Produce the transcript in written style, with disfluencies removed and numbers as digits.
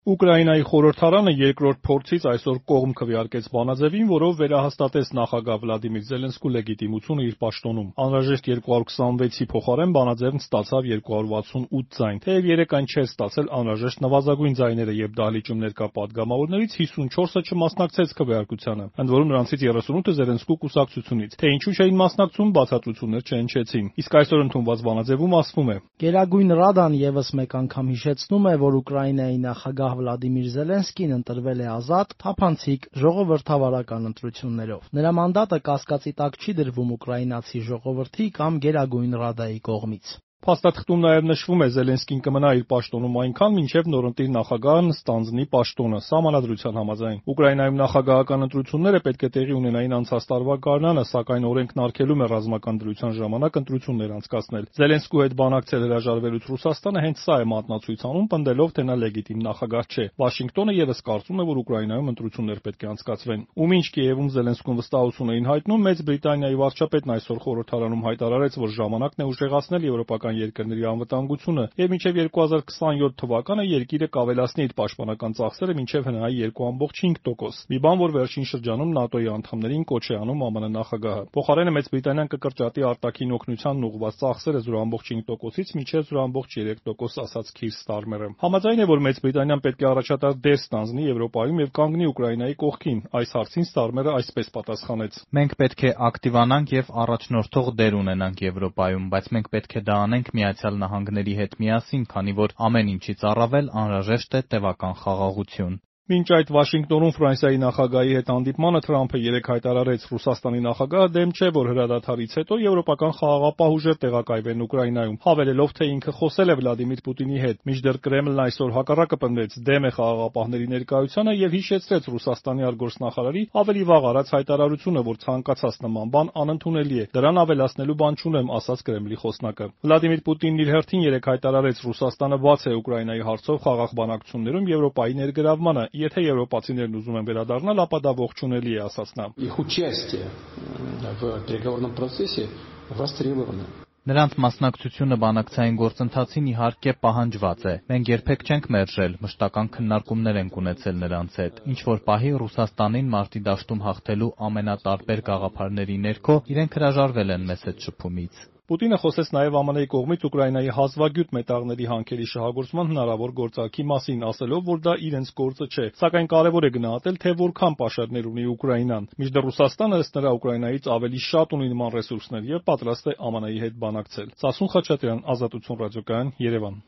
Ուկրաինայի խորհրդարանը երկրորդ փորձից այսօր կողմ քվեարկեց բանաձևին, որով վերահաստատեց նախագահ Վլադիմիր Զելենսկու լեգիտիմությունը իր պաշտոնում։ Անհրաժեշտ 226-ի փոխարեն բանաձևն ստացավ 268 ձայն, թեև 3 այն չէր ստացել անհրաժեշտ նվազագույն ձայները, եւ դահլիճում ներկա պատգամավորներից 54-ը չմասնակցեց քվեարկությանը, ընդ որում նրանցից 38-ը Զելենսկու կուսակցությունից։ Թե ինչու չէին մասնակցում, բացատրություններ չհնչեցին։ Իսկ այսօր ընդունված բանաձևում ասվում է. Գերագույն Ռադան եւս մեկ անգամ հիշեցնում է, որ Ուկրաինայի նախագահ Վլադիմիր Զելենսկին ընտրվել է ազատ, թափանցիկ, ժողովրդավարական ընտրություններով։ Նրա մանդատը կասկածի տակ չի դրվում ուկրաինացի ժողովրդի կամ Գերագույն Ռադայի կողմից։ Փաստաթղթում նաև նշվում է, Զելենսկին կմնա իր պաշտոնում այնքան, մինչև նորընտիր նախագահն ստանձնի պաշտոնը, սահմանադրության համաձայն։ Ուկրաինայում նախագահական ընտրությունները պետք է տեղի ունենային անցած տարվա գարնանը, սակայն օրենքն արգելում է ռազմական դրության ժամանակ ընտրություններ անցկացնել։ Զելենսկու հետ բանակցել հրաժարվելուց Ռուսաստանը հենց սա է մատնացույց անում, պնդելով, թե նա լեգիտիմ նախագահ չէ։ Վաշինգտոնը ևս կարծում է, որ Ուկրաինայում ընտրություններ պետք է անցկացվեն։ Ու մինչ Կիևում Զելենսկուն վստահություն էին հայտնում, Մեծ Բրիտանիայի վարչապետն այսօր խորհրդարանում հայտարարեց, որ ժամանակն է ուժեղացնել եվրոպական երկրների անվտանգությունը եւ մինչեւ 2027 թվականը երկիրը կավելացնի իր պաշտպանական ծախսերը մինչեւ հնայի 2.5%։ Մի բան, որ վերջին շրջանում ՆԱՏՕ-ի անդամներին կոչ է անում ԱՄՆ նախագահը։ Փոխարենը Մեծ Բրիտանիան կկրճատի արտաքին օգնությանն ուղղված ծախսերը 0.5%-ից մինչեւ 0.3%, ասաց Քիր Ստարմերը։ Համաձայն է, որ Մեծ Բրիտանիան պետք է առաջատար դեր ստանձնի Եվրոպայում եւ կանգնի Ուկրաինայի կողքին։ Այս հարցին Ստարմերը այսպես պատասխանեց. Մենք պետք է ակտիվանանք եւ առաջնորդող դեր ունենանք Եվրոպայում, բայց մենք պետք է դա անենք Միացյալ Նահանգների հետ միասին, քանի որ ամեն ինչից առավել անհրաժեշտ է տևական խաղաղություն։ Մինչ այդ Վաշինգտոնում Ֆրանսիայի նախագահի հետ հանդիպմանը Թրամփը երեկ հայտարարեց, Ռուսաստանի նախագահը դեմ չէ, որ հրադադարից հետո եվրոպական խաղաղապահ ուժեր տեղակայվեն Ուկրաինայում, հավելելով, թե ինքը խոսել է Վլադիմիր Պուտինի հետ։ Մինչդեռ Կրեմլն այսօր հակառակը պնդեց, դեմ է խաղաղապահների ներկայությանը եւ հիշեցրեց Ռուսաստանի արտգործնախարարի ավելի վաղ արած հայտարարությունը, որ ցանկացած նման բան անընդունելի է։ Դրան ավելացնելու բան չունեմ, ասաց Կրեմլի խոսնակը։ Վլադիմիր Պուտինն իր հերթին երեկ հայտարարեց, Ռուսաստանը բաց է Ուկրաինայի հարցով խաղաղ բանակցություններում Եվրոպայի ներգրավմանը։ Եթե եվրոպացիներն ուզում են վերադառնալ, ապա դա ողջունելի է, ասաց նա։ Նրանց մասնակցությունը բանակցային գործընթացին իհարկե պահանջված է։ Մենք երբեք չենք մերժել, մշտական քննարկումներ ենք ունեցել նրանց հետ։ Ինչ-որ պահի Ռուսաստանին մարտի դաշտում հաղթելու ամենատարբեր գաղափարների ներքո իրենք հրաժարվել են մեզ հետ շփումից։ Պուտինը խոսեց նաև ԱՄՆ-ի կողմից Ուկրաինայի հազվագյուտ մետաղների հանքերի շահագործման հնարավոր գործարքի մասին, ասելով, որ դա իրենց գործը չէ, սակայն կարևոր է գնահատել, թե որքան պաշարներ ունի Ուկրաինան։ Մինչդեռ Ռուսաստանը ըստ նրա Ուկրաինայից ավելի շատ ունի նման ռեսուրսներ եւ պատրաստ է ԱՄՆ-ի հետ բանակցել։ Սասուն Խաչատրյան, Ազատություն ռադիոկայան, Երևան։